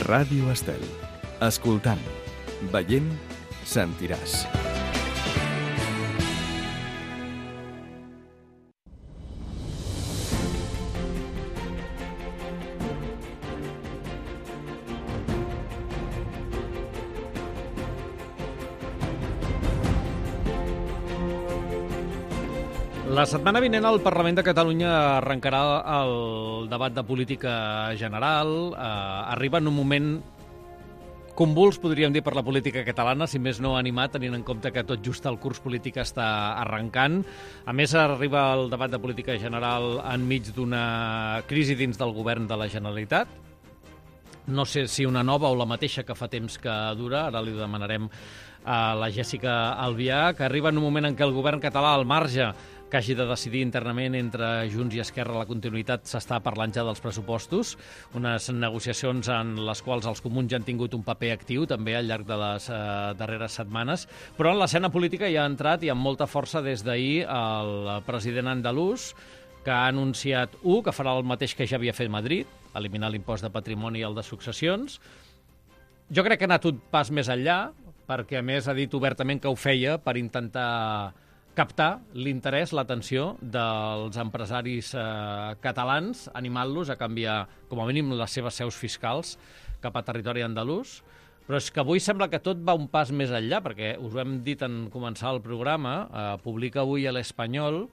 Ràdio Estel. Escoltant, veient, sentiràs. La setmana vinent al Parlament de Catalunya arrencarà el debat de política general. Arriba en un moment convuls, podríem dir, per la política catalana, si més no animat, tenint en compte que tot just el curs polític està arrencant. A més, arriba el debat de política general enmig d'una crisi dins del govern de la Generalitat. No sé si una nova o la mateixa que fa temps que dura, ara li demanarem a la Jèssica Albià, que arriba en un moment en què el govern català, al marge que hagi de decidir internament entre Junts i Esquerra la continuïtat, s'està parlant ja dels pressupostos, unes negociacions en les quals els comuns ja han tingut un paper actiu també al llarg de les darreres setmanes, però en l'escena política ja ha entrat i amb molta força des d'ahir el president andalús, que ha anunciat, que farà el mateix que ja havia fet Madrid, eliminar l'impost de patrimoni i el de successions. Jo crec que ha anat un pas més enllà, perquè a més ha dit obertament que ho feia per intentar captar l'interès, l'atenció dels empresaris catalans, animant-los a canviar, com a mínim, les seves seus fiscals cap a territori andalús. Però és que avui sembla que tot va un pas més enllà, perquè us ho hem dit en començar el programa, publica avui a l'Espanyol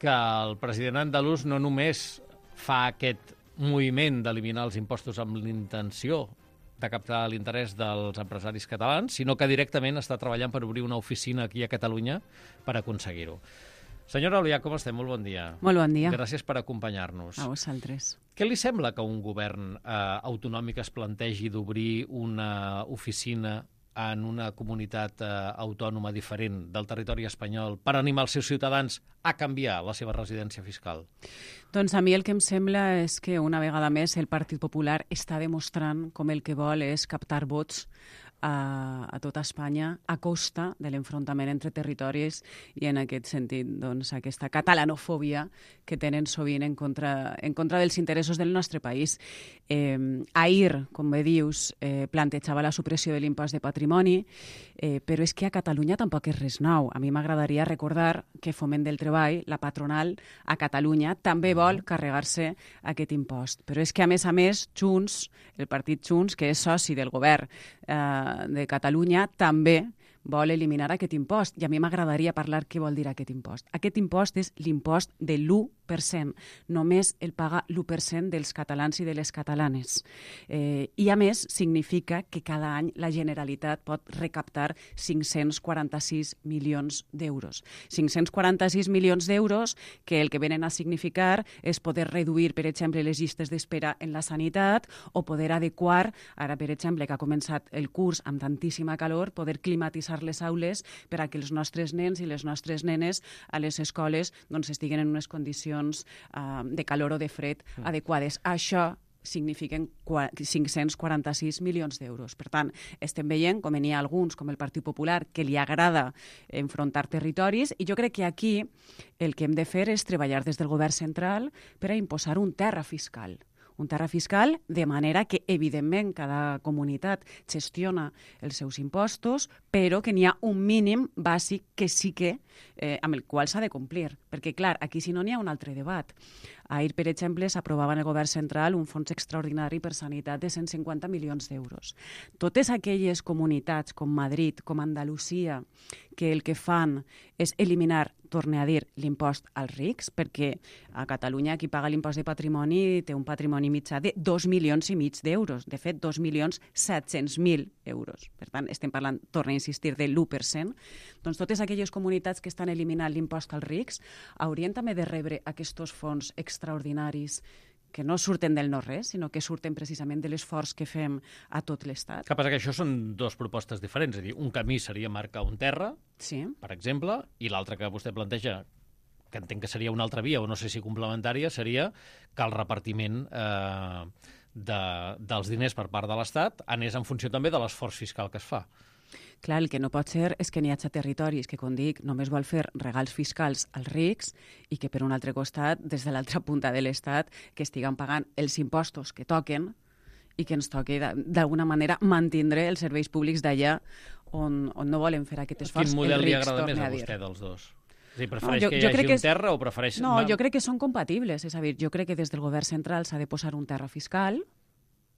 que el president andalús no només fa aquest moviment d'eliminar els impostos amb l'intenció de captar l'interès dels empresaris catalans, sinó que directament està treballant per obrir una oficina aquí a Catalunya per aconseguir-ho. Senyora Albià, com estem? Molt bon dia. Molt bon dia. Gràcies per acompanyar-nos. A vosaltres. Què li sembla que un govern autonòmic es plantegi d'obrir una oficina en una comunitat autònoma diferent del territori espanyol per animar els seus ciutadans a canviar la seva residència fiscal? Doncs a mi el que em sembla és que una vegada més el Partit Popular està demostrant com el que vol és captar vots a tota Espanya a costa de l'enfrontament entre territoris i en aquest sentit doncs, aquesta catalanofòbia que tenen sovint en contra dels interessos del nostre país. Ahir, com bé dius, plantejava la supressió de l'impost de patrimoni, però és que a Catalunya tampoc és res nou. A mi m'agradaria recordar que Foment del Treball, la patronal a Catalunya, també vol carregar-se aquest impost. Però és que, a més, Junts, el partit Junts, que és soci del govern de Catalunya, també vol eliminar aquest impost. I a mi m'agradaria parlar què vol dir aquest impost. Aquest impost és l'impost de l'1%. Només el paga l'1% dels catalans i de les catalanes. I, a més, significa que cada any la Generalitat pot recaptar 546 milions d'euros. 546 milions d'euros que el que venen a significar és poder reduir, per exemple, les llistes d'espera en la sanitat o poder adequar, ara, per exemple, que ha començat el curs amb tantíssima calor, poder climatitzar les aules per a que els nostres nens i les nostres nenes a les escoles doncs, estiguen en unes condicions de calor o de fred adequades. Això signifiquen 546 milions d'euros. Per tant, estem veient com n'hi ha alguns, com el Partit Popular, que li agrada enfrontar territoris, i jo crec que aquí el que hem de fer és treballar des del govern central per a imposar un terra fiscal. Un terra fiscal, de manera que, evidentment, cada comunitat gestiona els seus impostos, però que n'hi ha un mínim bàsic que sí que, amb el qual s'ha de complir. Perquè, clar, aquí si no n'hi ha un altre debat. Ahir, per exemple, s'aprovava en el govern central un fons extraordinari per sanitat de 150 milions d'euros. Totes aquelles comunitats, com Madrid, com Andalusia, que el que fan és eliminar, torne a dir, l'impost als rics, perquè a Catalunya qui paga l'impost de patrimoni té un patrimoni mitjà de 2,5 milions d'euros. De fet, 2.700.000 euros. Per tant, estem parlant, torno a insistir, de l'1%. Doncs totes aquelles comunitats que estan eliminant l'impost als rics haurien també de rebre aquests fons extraordinaris que no surten del no-res, sinó que surten precisament de l'esforç que fem a tot l'Estat. Que passa que això són dues propostes diferents. És a dir, un camí seria marcar un terra, sí, per exemple, i l'altre que vostè planteja, que entenc que seria una altra via, o no sé si complementària, seria que el repartiment dels diners per part de l'Estat anés en funció també de l'esforç fiscal que es fa. Clar, el que no pot ser és que n'hi hagi territoris que, com dic, només vol fer regals fiscals als rics i que, per un altre costat, des de l'altra punta de l'Estat, que estiguen pagant els impostos que toquen i que ens toqui d'alguna manera mantindre els serveis públics d'allà on no volen fer aquest esforç. Quin model li agrada més a vostè dels dos? És a dir, prefereix que hi hagi un terra o prefereix... No, jo crec que són compatibles. És a dir, jo crec que des del govern central s'ha de posar un terra fiscal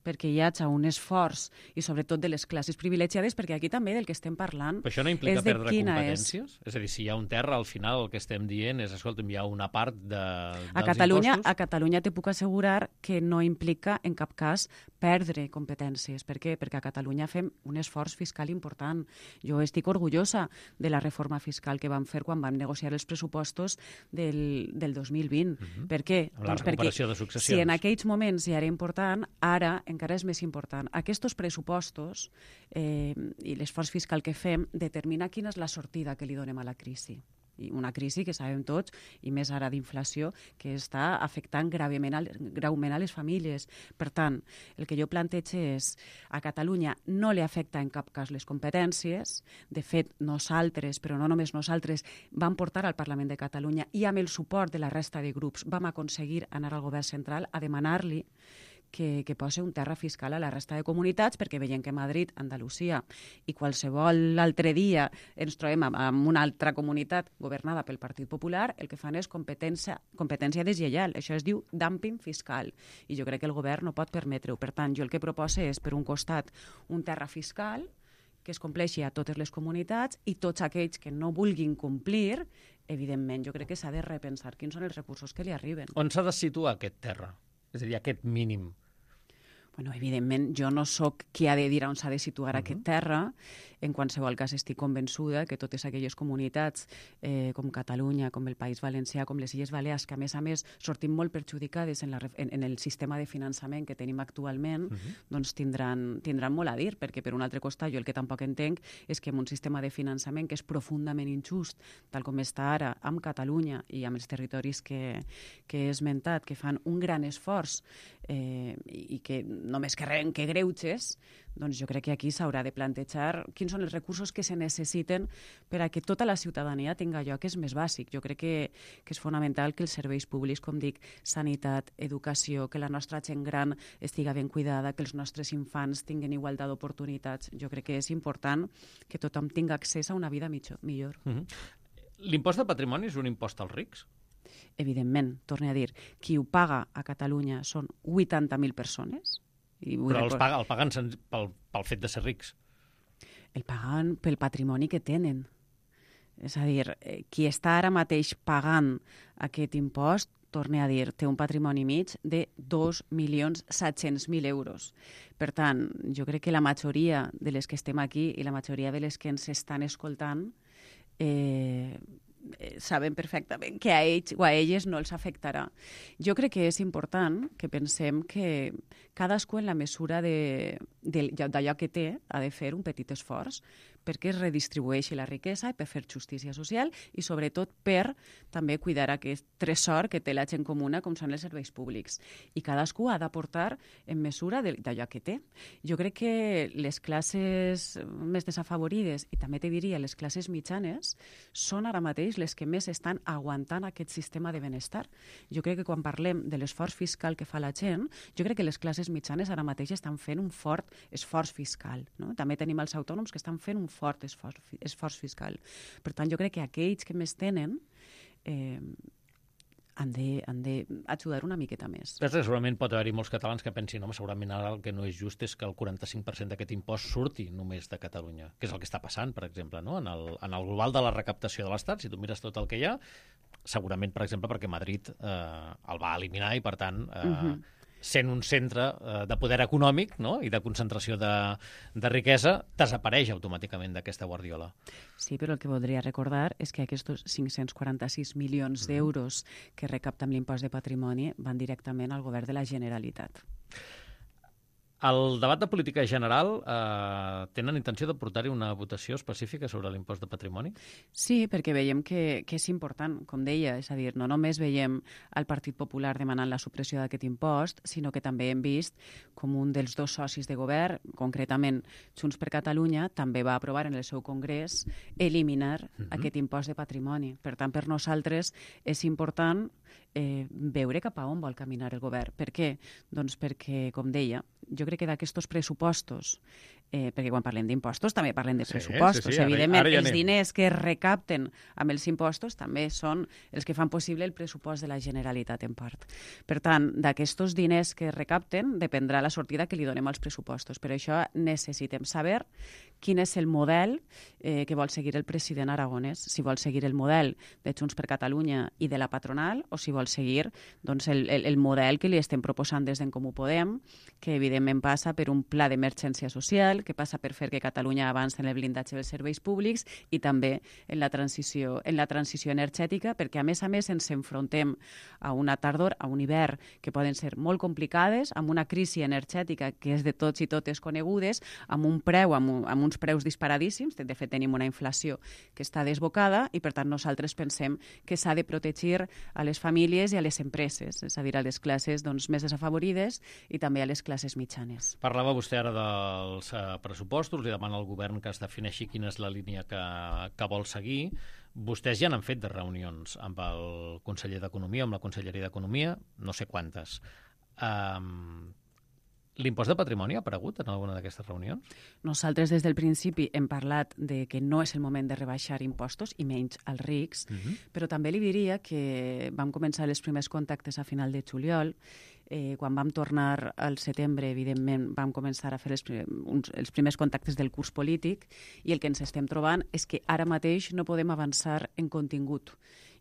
perquè hi hagi un esforç, i sobretot de les classes privilegiades, perquè aquí també del que estem parlant... Però això no implica perdre competències? És a dir, si hi ha un terra, al final el que estem dient és, escolta'm, hi ha una part dels impostos... A Catalunya te puc assegurar que no implica en cap cas perdre competències. Per què? Perquè a Catalunya fem un esforç fiscal important. Jo estic orgullosa de la reforma fiscal que vam fer quan vam negociar els pressupostos del 2020. Per què? Amb la recuperació de successions. Si en aquells moments ja era important, ara encara és més important. Aquests pressupostos i l'esforç fiscal que fem determina quina és la sortida que li donem a la crisi. I una crisi que sabem tots, i més ara d'inflació, que està afectant greument a les famílies. Per tant, el que jo plantege és a Catalunya no li afecta en cap cas les competències. De fet, nosaltres, però no només nosaltres, vam portar al Parlament de Catalunya i amb el suport de la resta de grups vam aconseguir anar al govern central a demanar-li que posi un terra fiscal a la resta de comunitats, perquè veiem que Madrid, Andalusia i qualsevol altre dia ens trobem amb una altra comunitat governada pel Partit Popular, el que fan és competència deslleial. Això es diu dumping fiscal, i jo crec que el govern no pot permetre-ho. Per tant, jo el que proposo és, per un costat, un terra fiscal que es compleixi a totes les comunitats, i tots aquells que no vulguin complir, evidentment, jo crec que s'ha de repensar quins són els recursos que li arriben. On s'ha de situar aquest terra? És a dir, aquest mínim. Bueno, evidentment, jo no sóc qui ha de dir on s'ha de situar aquest terra. En qualsevol cas, estic convençuda que totes aquelles comunitats, com Catalunya, com el País Valencià, com les Illes Balears, que a més sortim molt perjudicades en el sistema de finançament que tenim actualment, doncs tindran molt a dir, perquè per un altre costat jo el que tampoc entenc és que en un sistema de finançament que és profundament injust, tal com està ara amb Catalunya i amb els territoris que he esmentat, que fan un gran esforç i que només que reben que greuges, doncs jo crec que aquí s'haurà de plantejar quins són els recursos que se necessiten per a que tota la ciutadania tingui allò que és més bàsic. Jo crec que és fonamental que els serveis públics, com dic, sanitat, educació, que la nostra gent gran estiga ben cuidada, que els nostres infants tinguin igualtat d'oportunitats. Jo crec que és important que tothom tingui accés a una vida millor. L'impost de patrimoni és un impost als rics? Evidentment, torno a dir, qui ho paga a Catalunya són 80.000 persones. Però el paguen pel fet de ser rics. El paguen pel patrimoni que tenen. És a dir, qui està ara mateix pagant aquest impost, torno a dir, té un patrimoni mig de 2.700.000 euros. Per tant, jo crec que la majoria de les que estem aquí i la majoria de les que ens estan escoltant saben perfectament que a ells o a elles no els afectarà. Jo crec que és important que pensem que cadascú en la mesura d'allò que té ha de fer un petit esforç perquè es redistribueixi la riquesa i per fer justícia social i sobretot per també cuidar aquest tresor que té la gent comuna com són els serveis públics. I cadascú ha d'aportar en mesura d'allò que té. Jo crec que les classes més desafavorides i també te diria les classes mitjanes són ara mateix les que més estan aguantant aquest sistema de benestar. Jo crec que quan parlem de l'esforç fiscal que fa la gent, jo crec que les classes mitjanes ara mateix estan fent un fort esforç fiscal. No? També tenim els autònoms que estan fent un fort esforç fiscal. Per tant, jo crec que aquells que més tenen han d'ajudar una miqueta més. Però segurament pot haver-hi molts catalans que pensin home, segurament ara el que no és just és que el 45% d'aquest impost surti només de Catalunya, que és el que està passant, per exemple, no? En el global de la recaptació de l'Estat, si tu mires tot el que hi ha, segurament, per exemple, perquè Madrid el va eliminar i, per tant, sent un centre de poder econòmic, no? I de concentració de riquesa, desapareix automàticament d'aquesta guardiola. Sí, però el que voldria recordar és que aquests 546 milions d'euros que recapta amb l'impost de patrimoni van directament al govern de la Generalitat. Al debat de política general tenen intenció de portar-hi una votació específica sobre l'impost de patrimoni? Sí, perquè veiem que és important, com deia, és a dir, no només veiem el Partit Popular demanant la supressió d'aquest impost, sinó que també hem vist com un dels dos socis de govern, concretament Junts per Catalunya, també va aprovar en el seu congrés eliminar aquest impost de patrimoni. Per tant, per nosaltres és important veure cap a on vol caminar el govern. Per què? Doncs perquè, com deia, jo crec que d'aquests pressupostos, perquè quan parlem d'impostos també parlem de pressupostos. Evidentment, ara els diners que es recapten amb els impostos també són els que fan possible el pressupost de la Generalitat en part. Per tant, d'aquests diners que es recapten dependrà la sortida que li donem als pressupostos. Per això necessitem saber quin és el model que vol seguir el president Aragonès, si vol seguir el model de Junts per Catalunya i de la patronal o si vol seguir doncs, el model que li estem proposant des d'en Comú Podem, que evidentment passa per un pla d'emergència social, que passa per fer que Catalunya avanci en el blindatge dels serveis públics i també en la transició energètica, perquè a més ens enfrontem a una tardor, a un hivern, que poden ser molt complicades, amb una crisi energètica que és de tots i totes conegudes, amb un preu, amb uns preus disparadíssims, de fet tenim una inflació que està desbocada i per tant nosaltres pensem que s'ha de protegir a les famílies i a les empreses, és a dir, a les classes més desafavorides i també a les classes mitjanes. Parlava vostè ara dels pressupostos, li demana al govern que es defineixi quina és la línia que vol seguir. Vostès ja n'han fet de reunions amb el conseller d'Economia, amb la Conselleria d'Economia, no sé quantes. L'impost de patrimoni ha aparegut en alguna d'aquestes reunions? Nosaltres des del principi hem parlat de que no és el moment de rebaixar impostos, i menys als rics, però també li diria que vam començar els primers contactes a final de juliol. Quan vam tornar al setembre, evidentment, vam començar a fer els primers contactes del curs polític i el que ens estem trobant és que ara mateix no podem avançar en contingut.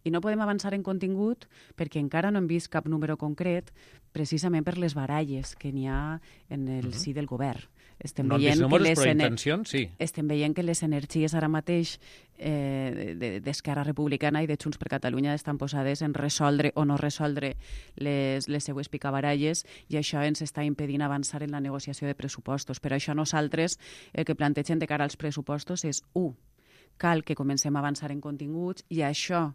I no podem avançar en contingut perquè encara no hem vist cap número concret, precisament per les baralles que n'hi ha en el si del govern. No han vist números, però intencions, sí. Estem veient que les energies ara mateix d'Esquerra Republicana i de Junts per Catalunya estan posades en resoldre o no resoldre les seues picabaralles i això ens està impedint avançar en la negociació de pressupostos. Per això nosaltres el que plantegem de cara als pressupostos és, cal que comencem a avançar en continguts i això,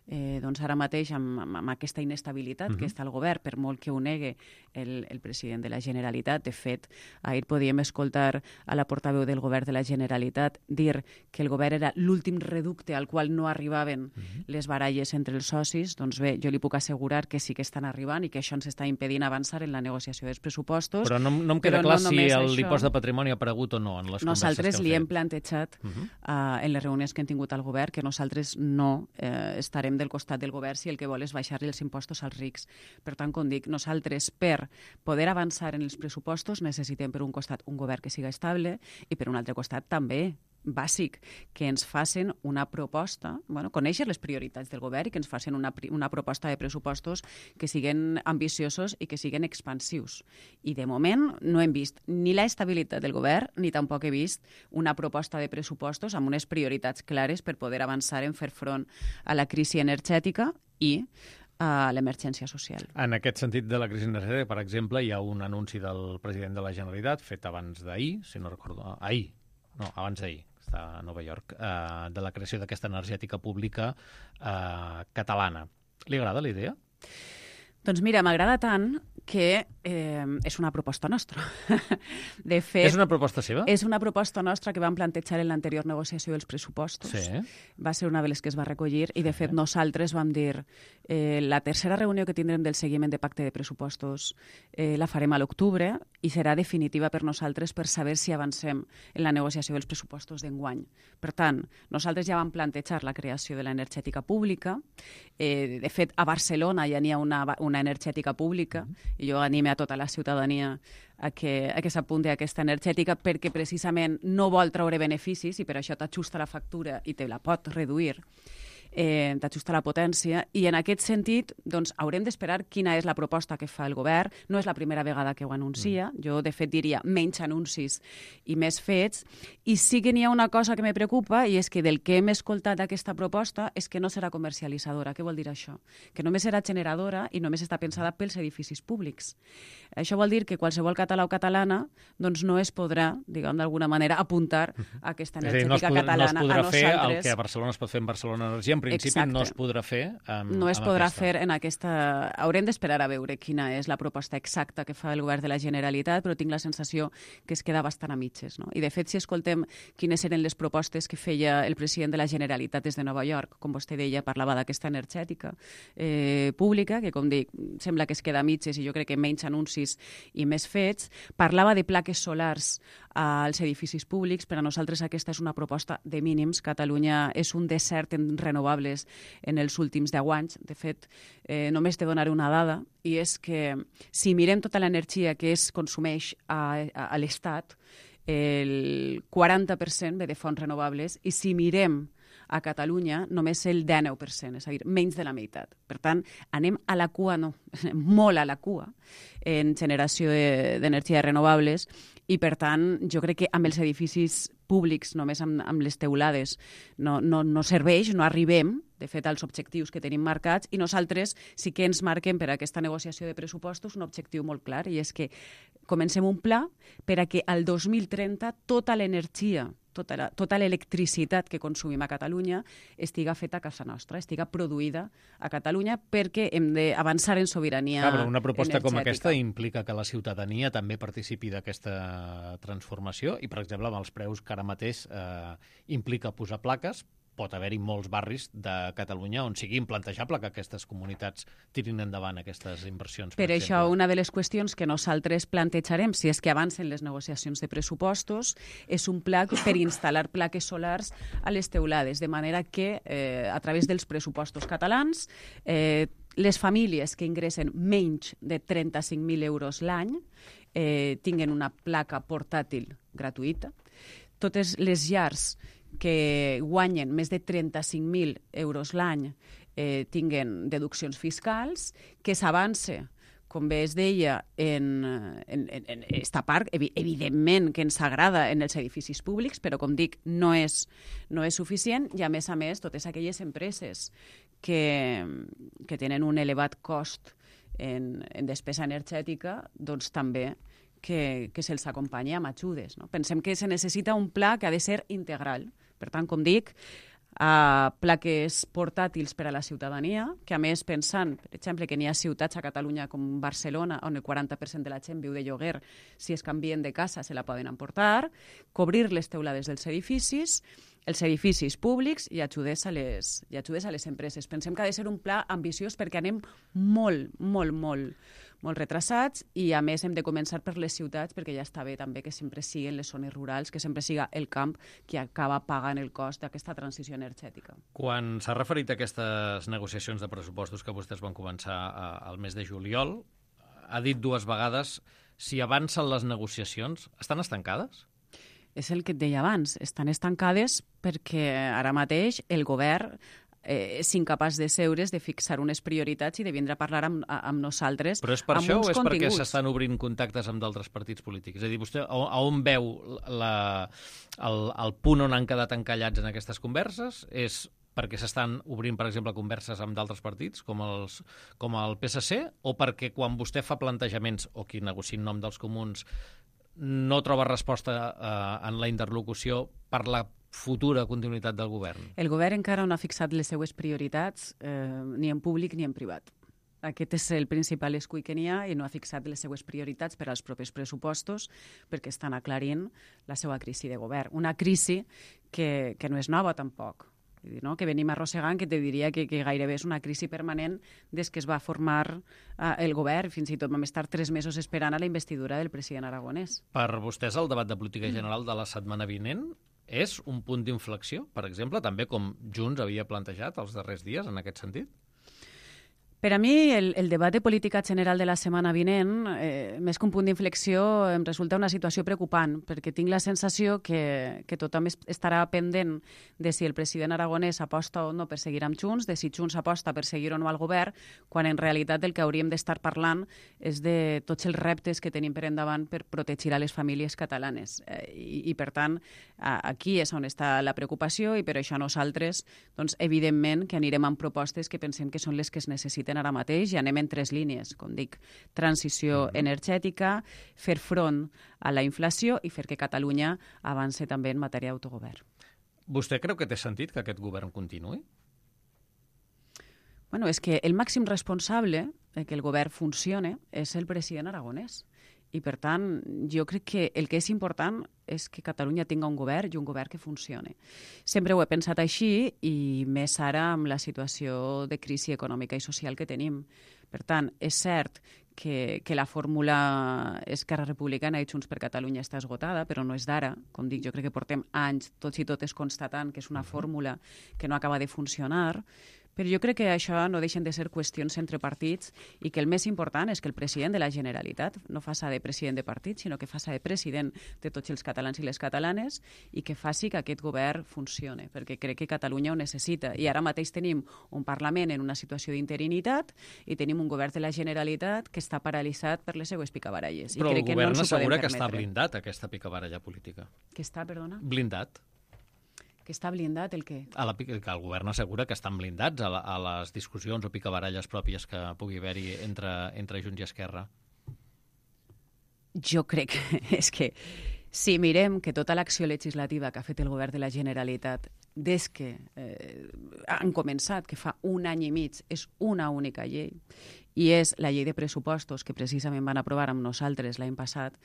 doncs ara mateix amb aquesta inestabilitat que està al govern, per molt que ho negue el president de la Generalitat. De fet, ahir podíem escoltar a la portaveu del govern de la Generalitat dir que el govern era l'últim reducte al qual no arribaven les baralles entre els socis. Doncs bé, jo li puc assegurar que sí que estan arribant i que això ens està impedint avançar en la negociació dels pressupostos. Però no em queda clar si l'impost de patrimoni ha aparegut o no en les converses que nosaltres li hem plantejat en les reunions que hem tingut al govern que nosaltres no estarem del costat del govern si el que vol és baixar-li els impostos als rics. Per tant, com dic, nosaltres per poder avançar en els pressupostos necessitem per un costat un govern que siga estable i per un altre costat també bàsic, que ens facin una proposta, conèixer les prioritats del govern i que ens facin una proposta de pressupostos que siguin ambiciosos i que siguin expansius. I de moment no hem vist ni la estabilitat del govern ni tampoc he vist una proposta de pressupostos amb unes prioritats clares per poder avançar en fer front a la crisi energètica i a l'emergència social. En aquest sentit de la crisi energètica, per exemple, hi ha un anunci del president de la Generalitat fet abans d'ahir, si no recordo, abans d'ahir, està a Nova York, de la creació d'aquesta energètica pública catalana. Li agrada la idea? Doncs mira, m'agrada tant que és una proposta nostra. De fet, és una proposta seva? És una proposta nostra que vam plantejar en l'anterior negociació dels pressupostos. Sí. Va ser una de les que es va recollir i, de fet, nosaltres vam dir la tercera reunió que tindrem del seguiment de pacte de pressupostos la farem a l'octubre i serà definitiva per nosaltres per saber si avancem en la negociació dels pressupostos d'enguany. Per tant, nosaltres ja vam plantejar la creació de l'energètica pública. De fet, a Barcelona ja n'hi ha una energètica pública i jo anime a tota la ciutadania a que s'apunti a aquesta energètica perquè precisament no vol treure beneficis i per això t'ajusta la factura i te la pot reduir. T'ajusta la potència i en aquest sentit doncs, haurem d'esperar quina és la proposta que fa el govern. No és la primera vegada que ho anuncia. Jo, de fet, diria menys anuncis i més fets. I sí que n'hi ha una cosa que me preocupa i és que del que hem escoltat d'aquesta proposta és que no serà comercialitzadora. Què vol dir això? Que només serà generadora i només està pensada pels edificis públics. Això vol dir que qualsevol català o catalana doncs, no es podrà, diguem d'alguna manera, apuntar a aquesta energètica catalana. No es podrà fer el que a Barcelona es pot fer en Barcelona Energia en principi no es podrà fer no es podrà fer en aquesta... Haurem d'esperar a veure quina és la proposta exacta que fa el govern de la Generalitat, però tinc la sensació que es queda bastant a mitges. No? I, de fet, si escoltem quines eren les propostes que feia el president de la Generalitat des de Nova York, com vostè deia, parlava d'aquesta energètica pública, que, com dic, sembla que es queda a mitges i jo crec que menys anuncis i més fets. Parlava de plaques solars als edificis públics. Per a nosaltres aquesta és una proposta de mínims. Catalunya és un desert en renovables en els últims 10 anys. De fet, només te donaré una dada, i és que si mirem tota l'energia que es consumeix a l'Estat, el 40% ve de fonts renovables, i si mirem a Catalunya només el 19%, és a dir, menys de la meitat. Per tant, anem a la cua, no, molt a la cua en generació d'energies renovables, i per tant jo crec que amb els edificis públics, només amb les teulades, no serveix, no arribem, de fet, als objectius que tenim marcats, i nosaltres sí que ens marquem per a aquesta negociació de pressupostos un objectiu molt clar, i és que comencem un pla per a que al 2030 tota l'energia, tota l'electricitat que consumim a Catalunya estiga feta a casa nostra, estiga produïda a Catalunya, perquè hem d'avançar en sobirania energètica. Però una proposta com aquesta implica que la ciutadania també participi d'aquesta transformació i, per exemple, amb els preus que ara mateix implica posar plaques, pot haver-hi molts barris de Catalunya on sigui implantejable que aquestes comunitats tirin endavant aquestes inversions. Per això, una de les qüestions que nosaltres plantejarem, si és que avancen les negociacions de pressupostos, és un pla per instal·lar plaques solars a les teulades, de manera que, a través dels pressupostos catalans, les famílies que ingressen menys de 35.000 euros l'any tinguen una placa portàtil gratuïta. Totes les llars que guanyen més de 35.000 euros l'any tinguen deduccions fiscals, que s'avance, com bé es deia, en esta part, evidentment que ens agrada en els edificis públics, però, com dic, no és suficient, i, a més, totes aquelles empreses que tenen un elevat cost en despesa energètica, doncs també que se'ls acompanyi amb ajudes. No? Pensem que se necessita un pla que ha de ser integral. Per tant, com dic, plaques portàtils per a la ciutadania, que, a més, pensant, per exemple, que n'hi ha ciutats a Catalunya com Barcelona on el 40% de la gent viu de lloguer, si es canvien de casa se la poden emportar, cobrir les teulades dels edificis, els edificis públics i ajudes a les empreses. Pensem que ha de ser un pla ambiciós perquè anem molt retrasats, i, a més, hem de començar per les ciutats, perquè ja està bé també que sempre siguin les zones rurals, que sempre siga el camp qui acaba pagant el cost d'aquesta transició energètica. Quan s'ha referit a aquestes negociacions de pressupostos que vostès van començar al mes de juliol, ha dit 2 vegades si avancen les negociacions. Estan estancades? És el que et deia abans, estan estancades perquè ara mateix el govern és incapaç de seure's, de fixar unes prioritats i de vindre a parlar amb nosaltres. Però és per això o és perquè s'estan obrint contactes amb d'altres partits polítics? És a dir, vostè a on veu el punt on han quedat encallats en aquestes converses? És perquè s'estan obrint, per exemple, converses amb d'altres partits, com el PSC, o perquè quan vostè fa plantejaments, o qui negocia en nom dels comuns, no troba resposta en la interlocució per la futura continuïtat del govern? El govern encara no ha fixat les seues prioritats ni en públic ni en privat. Aquest és el principal escull que n'hi ha, i no ha fixat les seues prioritats per als propers pressupostos perquè estan aclarint la seva crisi de govern. Una crisi que no és nova tampoc, no? Que venim arrossegant, que te diria que gairebé és una crisi permanent des que es va formar el govern. Fins i tot vam estar 3 mesos esperant a la investidura del president aragonès. Per vostès, el debat de política general de la setmana vinent és un punt d'inflexió, per exemple, també com Junts havia plantejat els darrers dies en aquest sentit? Per a mi, el debat de política general de la setmana vinent, més que un punt d'inflexió, em resulta una situació preocupant, perquè tinc la sensació que tothom estarà pendent de si el president aragonès aposta o no per seguir amb Junts, de si Junts aposta per seguir o no al govern, quan en realitat el que hauríem d'estar parlant és de tots els reptes que tenim per endavant per protegir a les famílies catalanes. I per tant, aquí és on està la preocupació, i per això nosaltres, doncs, evidentment, que anirem amb propostes que pensem que són les que es necessiten ara mateix, i anem en 3 línies, com dic, transició energètica, fer front a la inflació i fer que Catalunya avance també en matèria d'autogovern. Vostè creu que té sentit que aquest govern continuï? Bueno, és que el màxim responsable de que el govern funcione és el president aragonès. I, per tant, jo crec que el que és important és que Catalunya tinga un govern i un govern que funcione. Sempre ho he pensat així i més ara amb la situació de crisi econòmica i social que tenim. Per tant, és cert que la fórmula Esquerra Republicana i Junts per Catalunya està esgotada, però no és d'ara. Com dic, jo crec que portem anys tots i totes constatant que és una fórmula que no acaba de funcionar, però jo crec que això no deixen de ser qüestions entre partits i que el més important és que el president de la Generalitat no faci de president de partit, sinó que faci de president de tots els catalans i les catalanes i que faci que aquest govern funcione, perquè crec que Catalunya ho necessita. I ara mateix tenim un Parlament en una situació d'interinitat i tenim un govern de la Generalitat que està paralitzat per les seues picabaralles. Però I el crec govern que no assegura que està blindat, aquesta picabaralla política. Que està, perdona? Blindat. Que està blindat el què? Que el govern assegura que estan blindats a les discussions o picabaralles pròpies que pugui haver-hi entre Junts i Esquerra. Jo crec que és que si mirem que tota l'acció legislativa que ha fet el govern de la Generalitat des que han començat, que fa un any i mig, és una única llei, i és la llei de pressupostos que precisament van aprovar amb nosaltres l'any passat,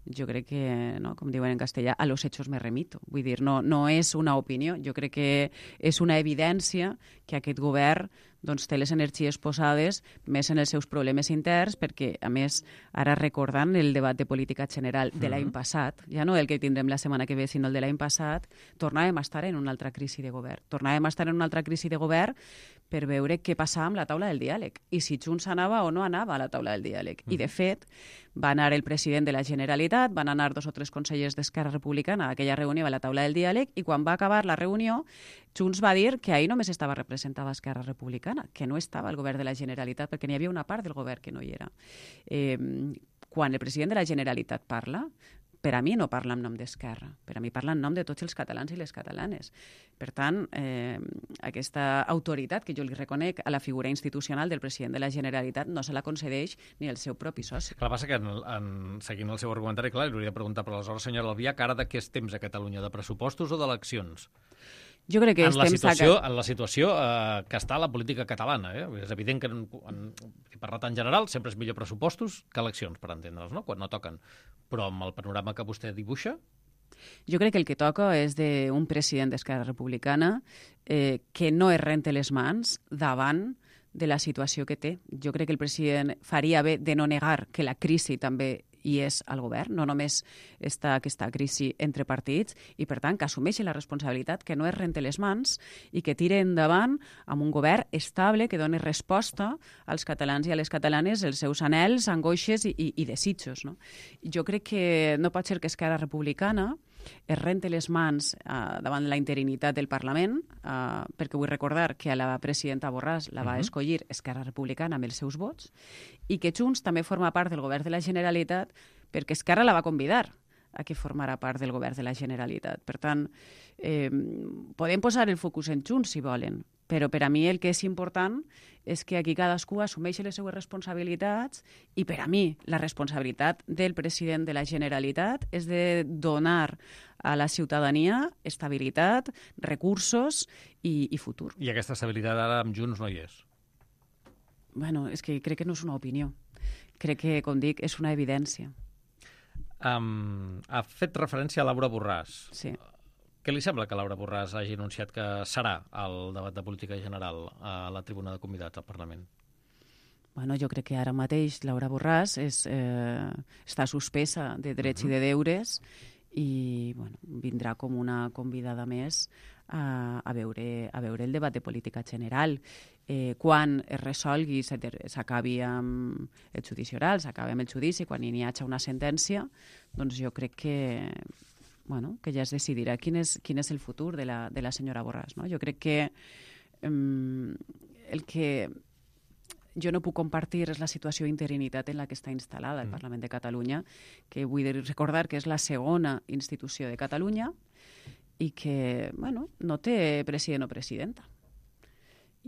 jo crec que, no, com diuen en castellà, a los hechos me remito. Vull dir, no és una opinió, jo crec que és una evidència que aquest govern doncs, té les energies posades més en els seus problemes interns, perquè, a més, ara recordant el debat de política general de l'any passat, ja no el que tindrem la setmana que ve, sinó el de l'any passat, tornàvem a estar en una altra crisi de govern. Tornàvem a estar en una altra crisi de govern per veure què passava amb la taula del diàleg i si Junts anava o no anava a la taula del diàleg. I, de fet, va anar el president de la Generalitat, van anar 2 o 3 consellers d'Esquerra Republicana a aquella reunió a la taula del diàleg i quan va acabar la reunió, Junts va dir que ahir només estava representada Esquerra Republicana, que no estava el govern de la Generalitat perquè n'hi havia una part del govern que no hi era. Quan el president de la Generalitat parla, per a mi no parla en nom d'Esquerra, per a mi parla en nom de tots els catalans i les catalanes. Per tant, aquesta autoritat que jo li reconec a la figura institucional del president de la Generalitat no se la concedeix ni el seu propi soci. Clar, passa que, seguint el seu argumentari, clar, li hauria de preguntar, però aleshores, senyora Albiach, ara de què és temps a Catalunya, de pressupostos o d'eleccions? Jo crec que en la situació que està la política catalana. És evident que, parlat en general, sempre és millor pressupostos que eleccions, per entendre'ls, no? Quan no toquen. Però amb el panorama que vostè dibuixa... Jo crec que el que toca és d'un president d'Esquerra Republicana que no es rente les mans davant de la situació que té. Jo crec que el president faria bé de no negar que la crisi també hi és al govern, no només està aquesta crisi entre partits, i per tant que assumeixi la responsabilitat, que no es rente les mans i que tire endavant amb un govern estable que doni resposta als catalans i a les catalanes els seus anhels, angoixes i desitjos. No? Jo crec que no pot ser que Esquerra Republicana es rente les mans davant la interinitat del Parlament, perquè vull recordar que a la presidenta Borràs la va escollir Esquerra Republicana amb els seus vots, i que Junts també forma part del govern de la Generalitat perquè Esquerra la va convidar a que formara part del govern de la Generalitat. Per tant, podem posar el focus en Junts, si volen, però per a mi el que és important és que aquí cadascú assumeixi les seues responsabilitats i per a mi la responsabilitat del president de la Generalitat és de donar a la ciutadania estabilitat, recursos i futur. I aquesta estabilitat ara amb Junts no hi és? Bueno, és que crec que no és una opinió. Crec que, com dic, és una evidència. Ha fet referència a Laura Borràs. Sí. Què li sembla que Laura Borràs hagi anunciat que serà al debat de política general a la tribuna de convidats al Parlament? Bueno, jo crec que ara mateix Laura Borràs està suspesa de drets i de deures i bueno, vindrà com una convidada més a veure el debat de política general. Quan es resolgui, s'acabi amb el judici oral, s'acabi amb el judici, quan hi hagi una sentència, doncs jo crec que ja es decidirà quin és el futur de la senyora Borràs. No? Jo crec que el que jo no puc compartir és la situació d'interinitat en la que està instal·lada el Parlament de Catalunya, que vull recordar que és la segona institució de Catalunya i que no té president o presidenta.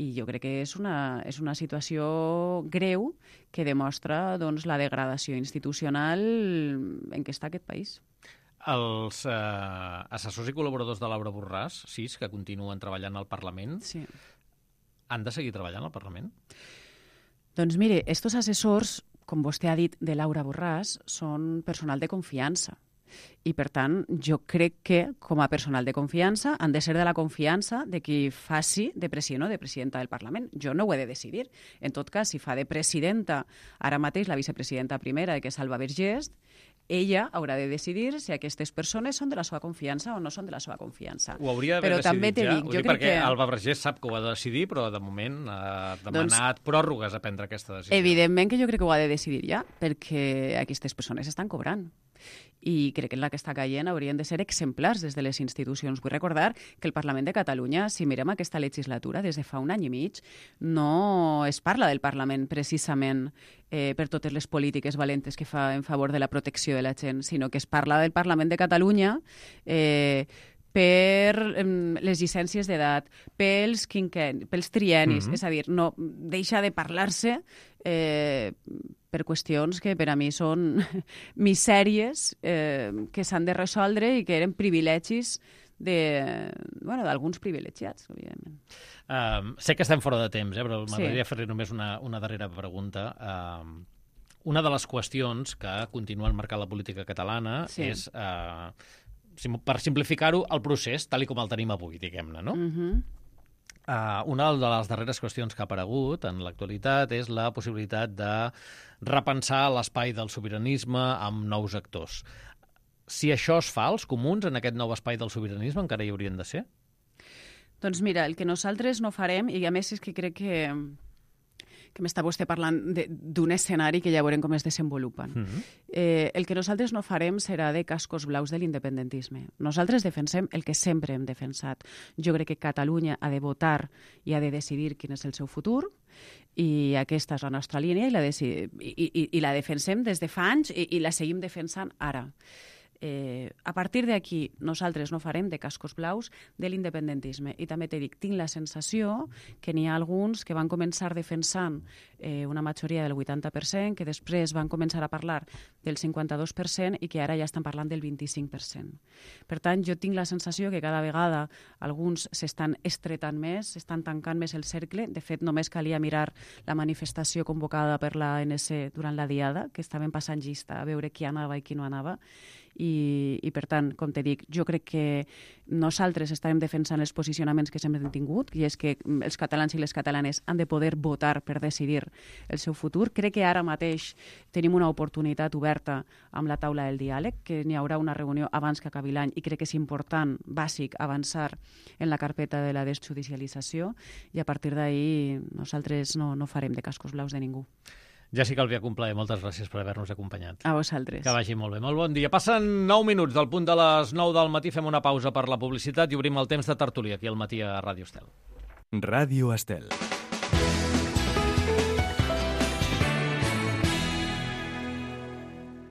I jo crec que és una situació greu que demostra la degradació institucional en què està aquest país. Els assessors i col·laboradors de Laura Borràs, 6, que continuen treballant al Parlament, sí, han de seguir treballant al Parlament? Doncs mire, estos assessors, com vostè ha dit, de Laura Borràs, són personal de confiança. I, per tant, jo crec que, com a personal de confiança, han de ser de la confiança de qui faci de president o de presidenta del Parlament. Jo no ho he de decidir. En tot cas, si fa de presidenta ara mateix la vicepresidenta primera, que és Alba Vergés, ella haurà de decidir si aquestes persones són de la seva confiança o no són de la seva confiança. Ho hauria d'haver però decidit també ja? dic, jo crec perquè que Alba Vergés sap que ho ha de decidir, però de moment ha demanat pròrrogues a prendre aquesta decisió. Evidentment que jo crec que ho ha de decidir ja, perquè aquestes persones estan cobrant. I crec que en la que està caient haurien de ser exemplars des de les institucions. Vull recordar que el Parlament de Catalunya, si mirem aquesta legislatura, des de fa un any i mig, no es parla del Parlament precisament per totes les polítiques valentes que fa en favor de la protecció de la gent, sinó que es parla del Parlament de Catalunya per les llicències d'edat, pels triennis, és a dir, no deixa de parlar-se per qüestions que per a mi són misèries que s'han de resoldre i que eren privilegis d'alguns privilegiats, evidentment. Sé que estem fora de temps, però m'agradaria fer-li només una darrera pregunta. Una de les qüestions que continuen marcant la política catalana és, per simplificar-ho, el procés, tal com el tenim avui, diguem-ne, no? Una de les darreres qüestions que ha aparegut en l'actualitat és la possibilitat de repensar l'espai del sobiranisme amb nous actors. Si això es fa, els comuns en aquest nou espai del sobiranisme encara hi haurien de ser? Doncs mira, el que nosaltres no farem, i a més és que crec que m'està vostè parlant d'un escenari que ja veurem com es desenvolupen. El que nosaltres no farem serà de cascos blaus de l'independentisme. Nosaltres defensem el que sempre hem defensat. Jo crec que Catalunya ha de votar i ha de decidir quin és el seu futur, i aquesta és la nostra línia i la defensem des de fa anys i la seguim defensant ara. A partir d'aquí, nosaltres no farem de cascos blaus de l'independentisme. I també t'he dit, tinc la sensació que n'hi ha alguns que van començar defensant una majoria del 80%, que després van començar a parlar del 52% i que ara ja estan parlant del 25%. Per tant, jo tinc la sensació que cada vegada alguns s'estan estretant més, s'estan tancant més el cercle. De fet, només calia mirar la manifestació convocada per l'ANC durant la Diada, que estaven passant llista a veure qui anava i qui no anava. I per tant, com te dic, jo crec que nosaltres estarem defensant els posicionaments que sempre hem tingut, i és que els catalans i les catalanes han de poder votar per decidir el seu futur. Crec que ara mateix tenim una oportunitat oberta amb la taula del diàleg, que n'hi haurà una reunió abans que acabi l'any, i crec que és important, bàsic, avançar en la carpeta de la desjudicialització, i a partir d'ahir nosaltres no farem de cascos blaus de ningú. Jessica Albiach-Complaer, moltes gràcies per haver-nos acompanyat. A vosaltres. Que vagi molt bé. Molt bon dia. Passen 9 minuts del punt de les 9 del matí. Fem una pausa per la publicitat i obrim el temps de tertúlia aquí al matí a Ràdio Estel. Ràdio Estel.